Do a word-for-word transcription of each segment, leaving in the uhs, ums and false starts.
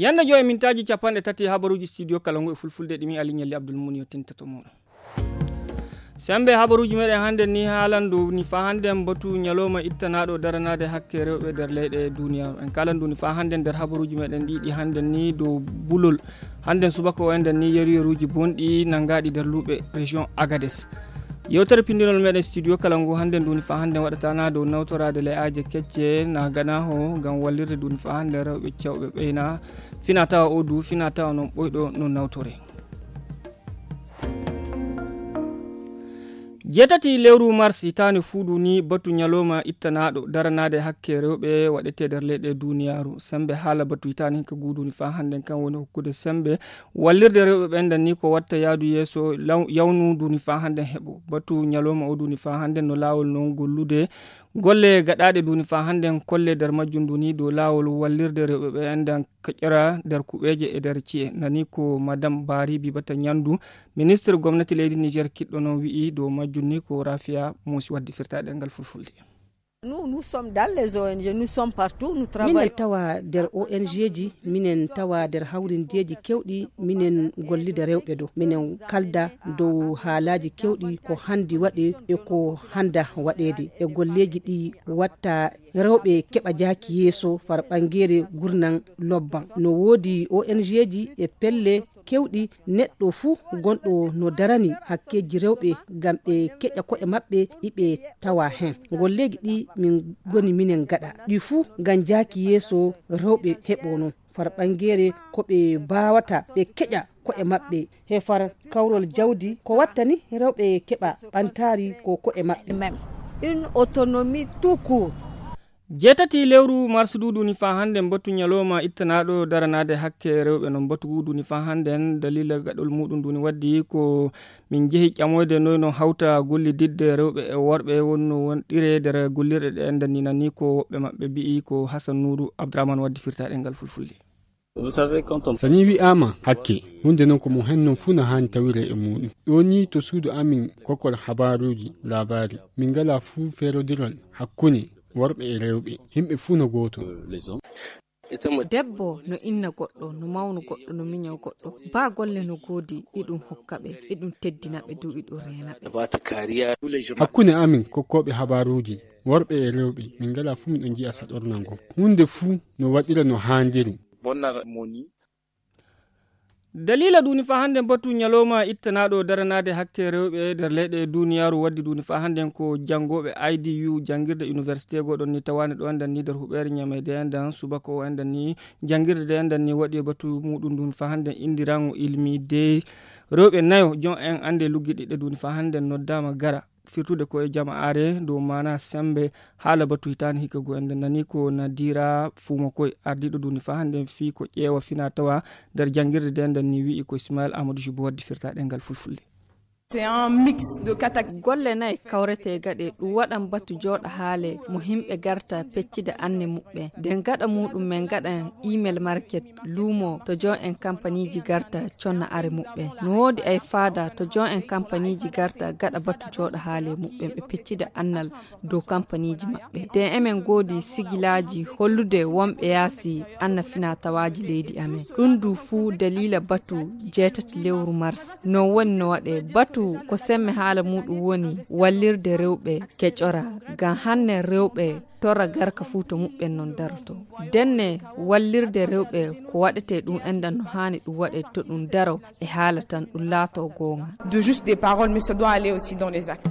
Yannde joy mintaaji capanɗe tati habaruuji studio kala ngu e fulfulde ɗi mi Ali Ñalli Abdul Muni yottinta to mooɗon. Sembe habaruuji meɗen hannde ni haalan dow ni fa hannde batu ñalawma ittanaaɗo daranaade hakke rewɓe nder leyɗe duniyaaru. En kaalan dow ni fa hannde nder habaruuji meɗen ɗi ɗi hannde ni dow bulol. Hannde subaka o enden ni yeru yeruuji bonɗi nanngaɗi nder luuɓe région Agades. Yewtere pindinol meɗen studio kala ngu hannde nduni fa hannde waɗatana dow nawtoraade le'aaje kecce na ganaho ngam wallirde nduni fa hannde rewɓe cewɓe ɓeyna fina tawa o du fina tawa noon ɓoyɗo no nawtore. Jeetati lewru mars hitaande fuuɗu ni batu ñalawma ittanaaɗo daranaade hakke rewɓe waɗete nder leyɗe duniyaaru. Sembe haala batu hitaande hinka guuduni fa hannden kan woni hokkude sembe wallirde rewɓe ɓen nden ni ko watta yaadu yeeso law- yawnu duni fa hannden heɓo. Batu ñalawma o duni fa hannden no laawol non gollude golle gaɗaaɗe duni fa hannden kolle nder majjum duni dow laawol wallirde rewɓe ɓe enden keƴora nder kuɓeeje e nder ci'e. Nani ko madame Bari Bibata Ñandu, ministre gomnati leydi Niger kiɗɗo noon wi'i dow majjum ni ko Rafia Muusi waddi firtaɗe ngal fulfulde. Nous, nous sommes dans les O N G, nous sommes partout, nous minen travaillons. Tawa nder O N G ji, minen tawa nder hawrindeeji kewɗi, minen gollida rewɓe ɗo, minen kalda dow haalaaji kewɗi ko handi waɗe e ko handa waɗeede e golleeji ɗi watta rewɓe keɓa jaaki yeeso far ɓangeere gurnan lobban. No woodi O N G ji e pelle kewɗi neɗɗo fuu gonɗo no darani hakkeeji rewɓe ngam ɓe keƴa ko'e maɓɓe ɗi ɓe tawa heen. Golleeji ɗi min ngoni minen gaɗa ɗi fuu ngam jaaki yeeso rewɓe heɓo noon far ɓangeere ko ɓe mbaawata ɓe keƴa ko'e maɓɓe he far kawrol jawdi ko wattani rewɓe keɓa ɓantaari ko ko'e maɓɓe. Même une autonomie tout court. Jeetati lewru mars duuɗu ni fa hannde mbattu ñalawma ittanaaɗo daranaade hakke rewɓe no mbattu guudu ni fa hannde dalila gaɗol muɗum duni waddi ko min jehi ƴamoyde noy no hawta gollididde rewɓe e worɓe wonno wonɗire nder gollirɗe ɗe enden ni nani ko woɓɓe maɓɓe mbi'i ko Hassan Nourou Abdourahmane waddi firtaɗe ngal fulfulde. Sani wi'aama hakke hunde non ko mo hen non fuu no haani tawire e muɗum ɗo ni to suudu amin kokkol habaruuji laabaari min ngala fuu feerodirol hakkunde worɓe e rewɓe yimɓe fuu no gooto. Debbo no inna goɗɗo no mawnu goɗɗo no miño goɗɗo ba golle no goodi iɗum hokka ɓe iɗum teddina ɓe du iɗum reena ɓe. Hakkunde amin kokkooɓe habaruuji worɓe e rewɓe min ngala fuu miɗo njiya saɗornal ngon huunde fuu no waɗira no haandiri. Dalila duni fa hannde batu ñalawma ittanaaɗo daranaade hakke rewɓe nder leyɗe duniyaaru waddi duni fa hannde ko janngooɓe I D U janngirde université goɗon ni tawaani ɗo enden ni nder huɓeere ñameede enden subaka o enden ni janngirde de enden ni waɗi e batu muɗum duni fa hannde indirango ilmi de rewɓe nayo jon en annde luggiɗiɗɗe duni fa hannde noddaama gara firtude ko e jama'aare dow maana sembe haala batu hitaani hikka go enden nani ko nadira fuumo koy ardiiɗo duni fa hannde fii ko ƴeewa fina tawa nder janngirde de enden ni wi'i ko Ismail Amadou Jubo waddi firtaɗe ngal fulfulde. C'est un mix de kata golle nayi kawrete gaɗe ɗum waɗan batu jooɗa haale mo himɓe garta peccida anne muɓɓe nden gaɗa muɗum men gaɗan email market luumo to jon en kampaniji garta conna are muɓɓe no woodi ay faada to jon en kampaniji garta gaɗa batu jooɗa haale muɓɓen ɓe peccida annal dow kampaniji maɓɓe nden emen goodi sigilaaji hollude wonɓe yaasi anna fina tawaaji leydi amen ɗum du fuu dalila batu jeetati lewru mars non woni no waɗe batu ko semme haala muɗum woni wallirde rewɓe keƴora ngam hanne rewɓe torra garka fuu to muɓɓen non daroto denne wallirde rewɓe ko waɗete ɗum enɗan no haani ɗum waɗe to ɗum daro e haala tan ɗum laato goonga. De juste des paroles mais ça doit aller aussi dans les actes.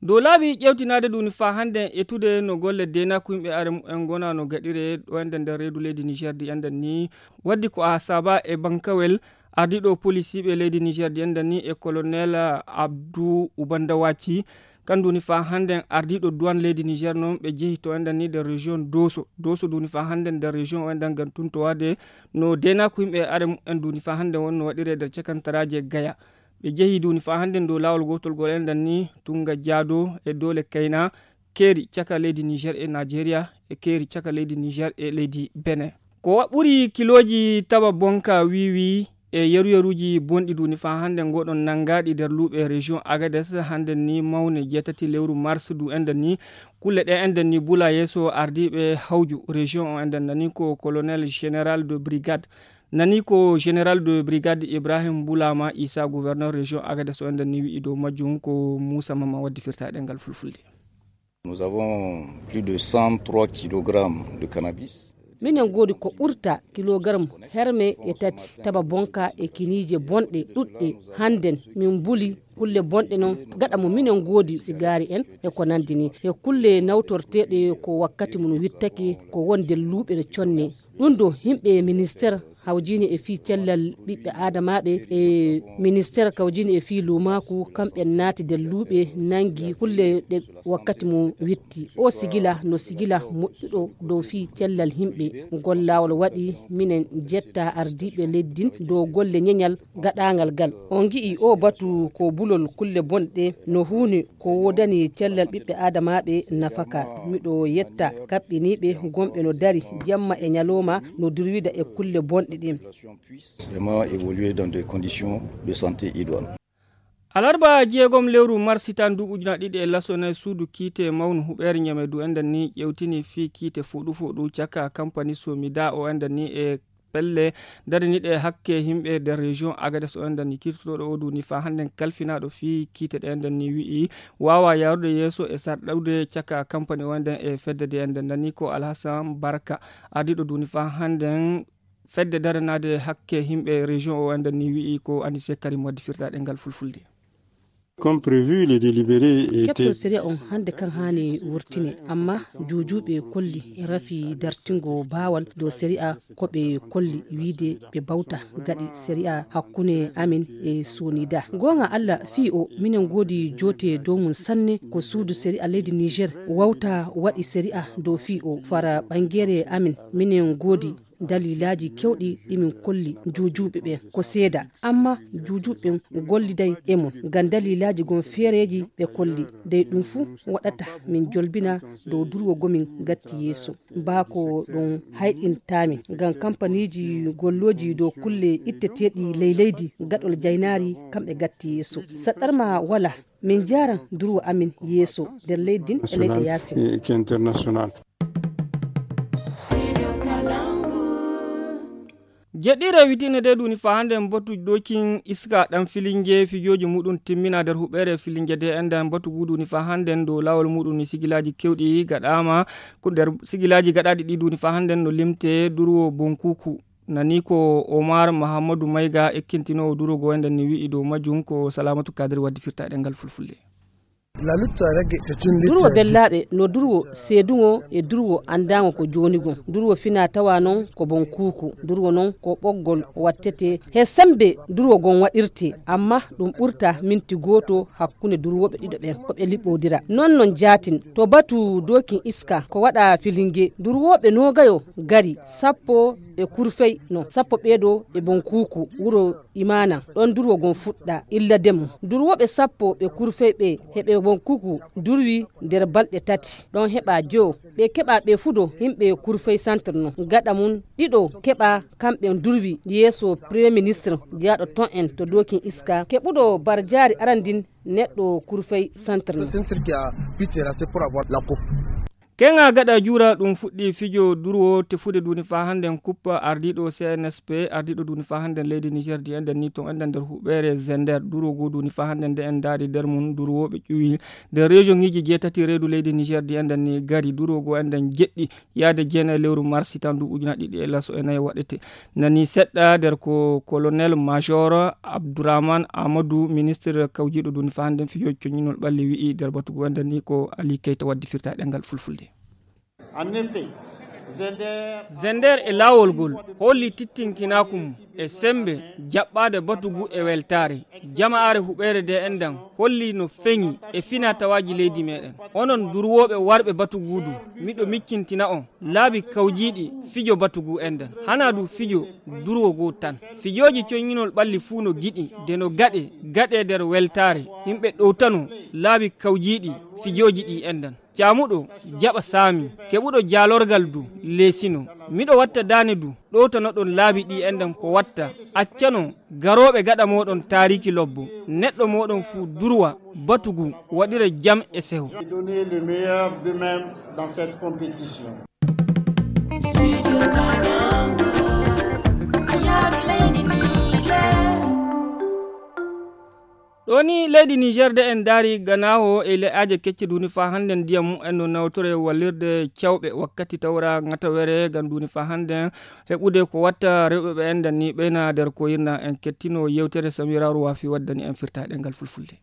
Dow laabi ƴewtinaade ɗum ni faa hannde etude no golle deenaaku yimɓe are mumen ngona no gaɗire ɗo enden nder reedu leydi Niger di enden ni waddi ko a saba e bankawel ardiiɗo police yiɓe leydi Niger di enden ni e colonel Abdou Ubandawaci kandu ni faa hannde ardiiɗo douane leydi Niger noon ɓe jehi to enden ni nder région Dosso Dosso duni faa hannde nder région o enden ngam tuntowaade no deenaaku yimɓe are mumen duni faa hannde wonno waɗire nder cakantaraaje Gaya ɓe jehi duni faa hannde dow laawol gootol gol enden ni Tunga Jaado e Doole Kayna keeri caka leydi Niger e Nigeria e keeri caka leydi Niger e leydi Benin. Ko wa ɓuri kilooji taba bonka wiwi E yeru-yeruuji bonɗi duni faa hannde ngoɗon nanngaɗi nder luuɓe région Agadez hannde ni mawne jeetati lewru mars du enden ni kulle ɗe enden ni bula yeeso ardiiɓe hawju région o enden nani ko colonel général de brigade nani ko général de brigade Ibrahim Bulama Isa gouverneur région Agadez o enden ni wi'i dow majjum ko Musa Mama waddi firtaɗe ngal fulfulde. Nous avons plus de cent trois kilogrammes de cannabis. Minen ngoodi ko ɓurta kilogaram herme e tati taba bonka e kiniije bonɗe ɗuɗɗe. Hannden min mbuli kulle bonɗe noon gaɗa mo minen ngoodi sigaari en e ko nanndi ni e kulle nawtorteeɗe ko wakkati mum wittake ko wonde luuɓe no conne. Ɗum ɗo yimɓe ministeer hawjini e fii cellal ɓiɓɓe aadamaaɓe e ministeer kawjini e fii luumaaku kamɓe naati nder luuɓe nanngi kulle ɗe wakkati mum witti o sigila no sigila moƴƴuɗo dow fii cellal yimɓe. Ngol laawol waɗi minen jetta ardiiɓe leydi ndin dow golle ñeñal gaɗaangal ngal. On ngi'i oo batu ko bulol kulle bonɗe no huunde ko woodani cellal ɓiɓɓe aadamaaɓe nafaka. Miɗo yetta kaɓɓiniiɓe gonɓe no dari jamma e ñalooma no durwida e kulle bonɗe ɗin. Vraiment évoluer dans des conditions de santé idoines. Alarba jeegom lewru mars hitan duuɓi ujuna ɗiɗi e laso nayi suudu kiite mawnu huɓeere ñame du enden ni ƴewtini fii kiite fuɗu fuɗu caka kampani somida o enden ni e pelle dariniɗe hakke himɓe nder région Agadez o enden ni kirtotoɗo o duni fa hannden kalfinaɗo fii kiite ɗe enden ni wi'i wawa yarude yeeso e sarɗude caka kampani o enden e fedde de enden nani ko Alhassan Barka ardiɗo duni fa hannden fedde daranaade hakke himɓe région o enden ni wi'i ko Anise Karim waddi firtaɗe ngal fulfulde. Comme prévu, le délibéré était. Keɓtol sariya on hannde kan haani wurtine amma juujuuɓe kolli rafi dartingo baawal dow sariya ko ɓe kolli wiide ɓe bawta gaɗi sariya hakkunde amin e sonida. Goonga Allah fii o minen ngoodi joote dow mum sanne ko suudu sariya leydi Niger wawta waɗi sariya dow fii o fara ɓangeere amin minen ngoodi dalilaaji kewɗi ɗi min kolli juujuuɓe ɓen ko seeda amma juujuuɓe ɓen golliday e mum ngam dalilaaji gon feereeji ɓe kolli dey ɗum fuu waɗata min jolbina dow durwo gomin gatti yeeso. Baa ko ɗum hayɗintaamin ngam kampaniiji gollooji dow kulle itteteeɗi ley leydi gaɗol jaynaari kamɓe gatti yeeso. Saɗɗarma wala min njaaran durwo amin yeeso nder leydi ndin e leyɗe yaasin. Jeɗɗiire witine de duni fa hannde mbatu ɗokin iska ɗan filinge fijooji muɗum timmina nder huɓeere filinge de enden mbatu gu duni fa hannde dow laawol muɗum ni sigilaaji kewɗi gaɗaama ko nder sigilaaji gaɗaaɗi ɗi duni fa hannde no limte durwo bonkuku. Nani ko Omar Mahamadou Mayga ekkintinoowo durwo go enden ni wi'i dow majjum ko Salamatu Kadir waddi firtaɗe ngal fulfulde. Durwo bellaaɓe no durwo seedungo e durwo anndaango ko joonigo. Durwo fina tawa non ko bonkuuku. Durwo non ko ɓoggol wattete he sembe durwo gon waɗirte amma ɗum ɓurta minti gooto hakkunde durwooɓe ɗiɗo ɓen ko ɓe liɓɓodira. Non non jaatin to batu dookin iska ko waɗa filinge durwooɓe noogayo gari sappo e kurfey no sappo ɓeeɗo e bonkuuku wuro imaana ɗon durwo gon fuɗɗa illa demo durwooɓe sappo ɓe kurfey ɓe heɓe bonkuuku durwi nder balɗe tati ɗon heɓa joo ɓe keɓa ɓe fudo yimɓe kurfey centre no gaɗa mum ɗiɗo keɓa kamɓe durwi yeeso premier ministre jaaɗo ton en to dokin iska keɓuɗo barjaari arandin neɗɗo kurfey centre no. Keŋa gaɗa juura ɗum fuɗɗi fijo durwo tefude duni fa hannden kuppa ardiiɗo C N S P ardiiɗo duni fa hannden leydi Niger di enden ni ton enden nder huɓeere Zender durwo go duni fa hannden nde en ndaari nder mum durwooɓe ƴuwi nder région ŋiji jeetati reedu leydi Niger di enden ni gari durwo go enden jeɗɗi yaade jeenayi lewru mars hitan du ujuna ɗiɗi e laso e nayi waɗete nani seɗɗa nder ko colonel major Abdourahmane Amadou ministre kawjiiɗo duni fa hannden fijo coñinol ɓalli wi'i nder batu go enden ni ko Ali Keita waddi firta ɗengal fulfulde. Zender e laawol ngol holli tittinkinaaku mum e semmbe jaɓɓaade batu ngu e weltaare. Jama'aare huɓeere de enɗan holli no feŋi e finaa-tawaaji leydi meeɗen. Onon durwooɓe warɓe batu ngu du, miɗo miccintina on laabi kawjiiɗi fijo batu ngu enɗan. Hanaa du fijo durwo goo tan. Fijooji coñŋinol ɓalli fuu no giɗi de no gaɗee, gaɗee nder weltaare. Yimɓe ɗowtano laabi kawjiiɗi fijooji ɗii enɗan. Caamuɗo jaɓa saami, keɓuɗo jaalorgal du leesino. Miɗo watta daane du, ɗowtanoɗon laabi ɗi enɗan ko watta. Accanon garooɓe gaɗa mooɗon taariki lobbo. Neɗɗo mooɗon fuu durwa, batugu, waɗira jam e seho. Donner le meilleur d'eux-mêmes dans cette compétition. Ɗo ni leydi Niger de en daari ganaawo e le'aaje kecce duuni faa hannde ndiyam mumen no nawtore wallirde cawɓe wakkati tawra ŋatawere ngam duuni faa hannde heɓude ko watta rewɓe ɓe enɗan ni ɓeyna nder ko yirna en kettino yewtere Samira Ruwafi waddani en firtaɗe ngal fulfulde.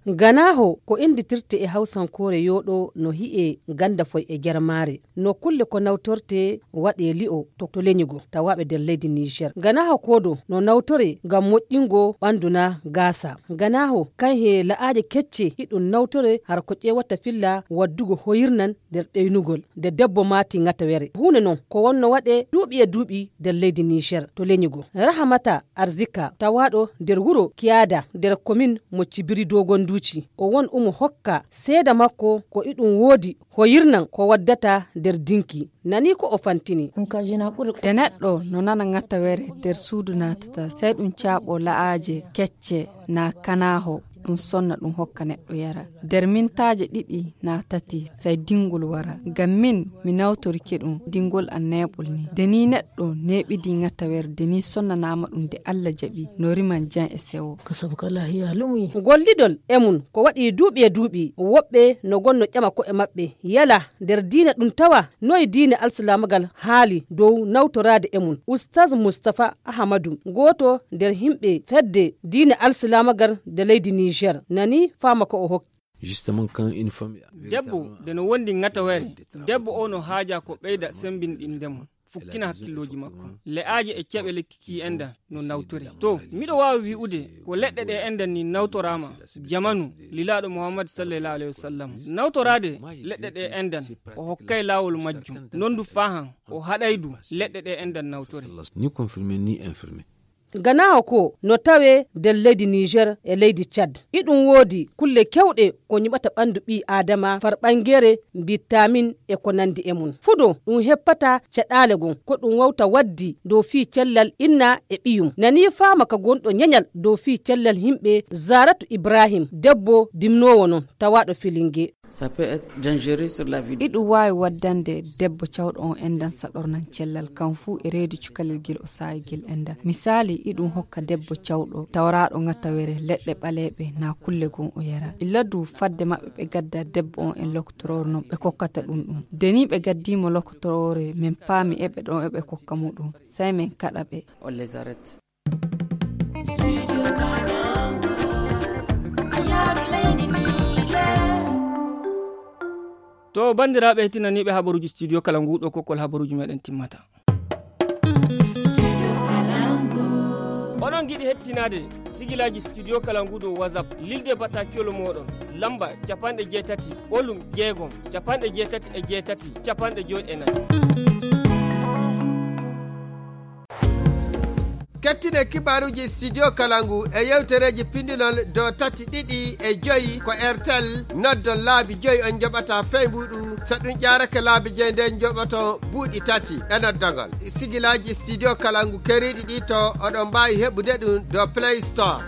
Ganaaho ko innditirte e hawsankoore yooɗo no hi'e ganndafoy e germaare. No kulle ko nawtorte waɗe li'o to, to leñugo tawaaɓe nder leydi Niger. Ganaaho koodo no nawtore ngam moƴƴingo ɓanndu na gaasa. Ganaaho kan he la'aaje kecce hiɗum nawtore har ko ƴeewata filla waddugo hoyirnan nder ɓeynugol nde debbo maati ŋatawere. Huunde non ko wonno waɗe duuɓi e duuɓi nder leydi Niger to leñugo. Rahamata Arzika tawaaɗo nder wuro Kiyada nder komin mo Cibiri Dogonduuci. O won umo hokka seeda makko ko iɗum woodi hoyirnan ko waddata nder dinki. Nani ko o fantini. Nde neɗɗo no nana ŋatawere nder suudu naatata, sey ɗum caaɓo la'aaje kecce naa kanaaho, ɗum sonna ɗum hokka neɗɗo yara. Nder mintaaje ɗiɗi naa tati, sey dingol wara. Ngam min, mi nawtorike ɗum, dingol an neeɓol ni. Nde ni neɗɗo neeɓidi ŋatawere, nde ni sonnanaama ɗum nde Allah jaɓi, no riman jam e sewo. Gollidol e mum ko waɗi duuɓi e duuɓi, woɓɓe no gonno ƴama ko'e maɓɓe, yala nder diina ɗum tawa? Noy diine alsilaamagal haali dow nawtoraade e mum? Ustaz Mustapha Ahamadu, gooto nder yimɓe fedde diine alsilaamagal nde leydi Niger, nani faama ko o hokki. Justement, quand une femme est debbo nde no wondi ŋatawere, debbo o no haaja ko ɓeyda sembinɗinde mo, fukkina hakkillooji makko. Le'aaje e ceɓe lekki ki enɗan no nawtori. To, miɗo waawi wi'ude ko leɗɗe ɗe enɗan ni nawtoraama jamanu lilaaɗo Muhammad sallallahu alaihi wasallam. Nawtoraade leɗɗe ɗe enɗan, o hokkay laawol majjum. Non du faahan, o haɗay du leɗɗe ɗe enɗan nawtore. Ni confirmé, ni infirmé. Ganaaho ko no tawee nder leydi Niger e leydi Tchad. Iɗum woodi kulle kewɗe ko ñiɓata ɓanndu ɓii Aadama, farɓangeere, mbitamin e ko nanndi e mum. Fudo ɗum heppata caɗaale gon, ko ɗum wawta waddi dow fii cellal inna e ɓiyum. Nani faama ka gonɗo ñañal dow fii cellal yimɓe Zaratu Ibrahim, debbo dimnoowo non, tawaaɗo Filinge. Ça peut être dangereux sur la vie. Iɗum waawi waddande debbo cawɗo on enɗan saɗornan cellal kan fuu e reedu cukalel gel o saayi gel enɗan. Misaali, iɗum hokka debbo cawɗo tawraaɗo ŋatawere leɗɗe ɓaleeɓe naa kulle gon o yara. Illa du fadde maɓɓe ɓe gadda debbo on en lokotoroore non ɓe kokkata ɗum ɗum. Nde ni ɓe gaddiimo lokotoroore, men paami eɓe ɗon eɓe kokka mo ɗum. Sey men kaɗa ɓe. On les arrête. To, banndiraaɓe heɗtinaniiɓe habaruuji Studio Kalangu, ɗo kokkol habaruuji meɗen timmata. Oɗon ngiɗi heɗtinaade sigilaaji Studio Kalangu dow WhatsApp, lilde bataakiwol mooɗon, lamba capanɗe jeetati, ɓolum jeegom, capanɗe jeetati e jeetati, capanɗe joy e nayi. Kettine kibaaruuji Studio Kalangu e yewtereeji pindinol dow tati ɗiɗi e joyi ko Airtel, noddon laabi joyi on njoɓata fey mbuuɗu, so ɗum ƴaarake laabi joyi nden njoɓoton buuɗi tati e noddagol. Sigilaaji Studio Kalangu keeriiɗi ɗi to oɗon mbaawi heɓude ɗum dow Play Store.